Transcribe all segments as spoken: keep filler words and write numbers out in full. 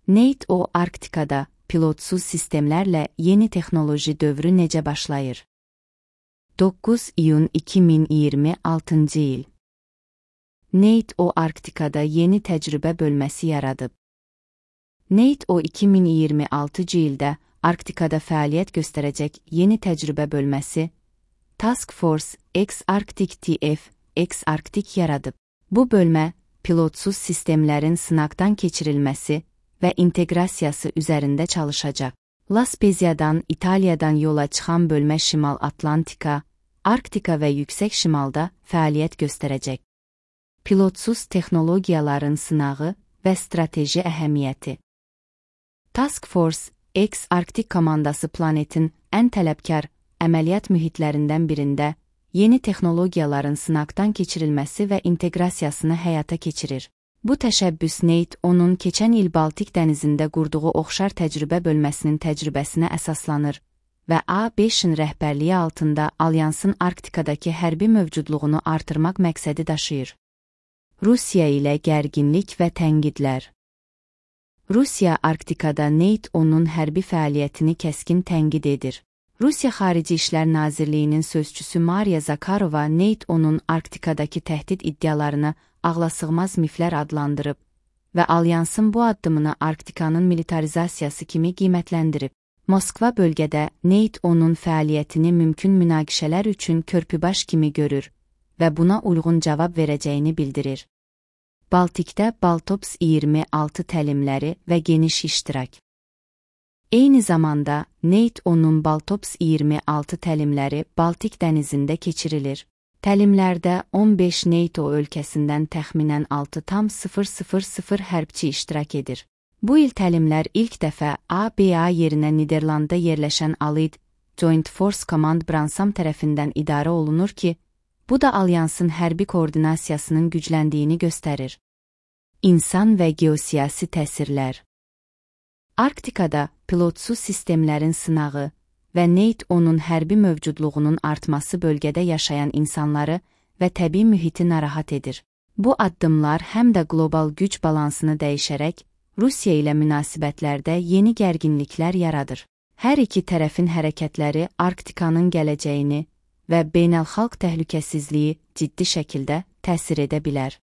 NATO Arktikada pilotsuz sistemlərlə yeni texnoloji dövrü necə başlayır? doqquz iyun iki min iyirmi altıncı il. NATO Arktikada yeni təcrübə bölməsi yaradıb. NATO iki min iyirmi altıncı ildə Arktikada fəaliyyət göstərəcək yeni təcrübə bölməsi Task Force X-Arctic T F X-Arctic yaradıb. Bu bölmə pilotsuz sistemlərin sınaqdan keçirilməsi və inteqrasiyası üzərində çalışacaq. La Spezia'dan İtaliyadan yola çıxan bölmə Şimal Atlantika, Arktika və yüksək şimalda fəaliyyət göstərəcək. Pilotsuz texnologiyaların sınağı və strateji əhəmiyyəti. Task Force X-Arctic komandası planetin ən tələbkar əməliyyat mühitlərindən birində yeni texnologiyaların sınaqdan keçirilməsi və inteqrasiyasını həyata keçirir. Bu təşəbbüs NATO'nun keçən il Baltik dənizində qurduğu oxşar təcrübə bölməsinin təcrübəsinə əsaslanır və A beşin rəhbərliyi altında Alyansın Arktikadakı hərbi mövcudluğunu artırmaq məqsədi daşıyır. Rusiya ilə gərginlik və tənqidlər. Rusiya Arktikada NATO'nun hərbi fəaliyyətini kəskin tənqid edir. Rusiya Xarici İşlər Nazirliyinin sözçüsü Mariya Zakharova NATO'nun Arktikadakı təhdid iddialarını ağlasığmaz miflər adlandırıb və Alyansın bu addımını Arktikanın militarizasiyası kimi qiymətləndirib. Moskva bölgədə NATO'nun fəaliyyətini mümkün münaqişələr üçün körpübaş kimi görür və buna uyğun cavab verəcəyini bildirir. Baltikdə Baltops iyirmi altı təlimləri və geniş iştirak. Eyni zamanda NATO'nun Baltops iyirmi altı təlimləri Baltik dənizində keçirilir. Təlimlərdə on beş NATO ölkəsindən təxminən altı nöqtə hərbçi iştirak edir. Bu il təlimlər ilk dəfə A B A yerinə Niderlandda yerləşən Allied Joint Force Command Bransam tərəfindən idarə olunur ki, bu da Alyansın hərbi koordinasiyasının gücləndiyini göstərir. İnsan və geosiyasi təsirlər. Arktikada pilotsuz sistemlərin sınağı və NATO'nun hərbi mövcudluğunun artması bölgədə yaşayan insanları və təbii mühiti narahat edir. Bu addımlar həm də qlobal güc balansını dəyişərək Rusiya ilə münasibətlərdə yeni gərginliklər yaradır. Hər iki tərəfin hərəkətləri Arktikanın gələcəyini və beynəlxalq təhlükəsizliyi ciddi şəkildə təsir edə bilər.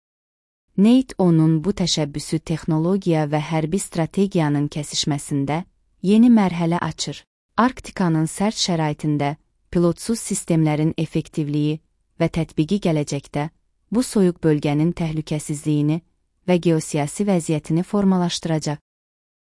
NATO'nun bu təşəbbüsü texnologiya və hərbi strategiyanın kəsişməsində yeni mərhələ açır. Arktikanın sərt şəraitində pilotsuz sistemlərin effektivliyi və tətbiqi gələcəkdə bu soyuq bölgənin təhlükəsizliyini və geosiyasi vəziyyətini formalaşdıracaq.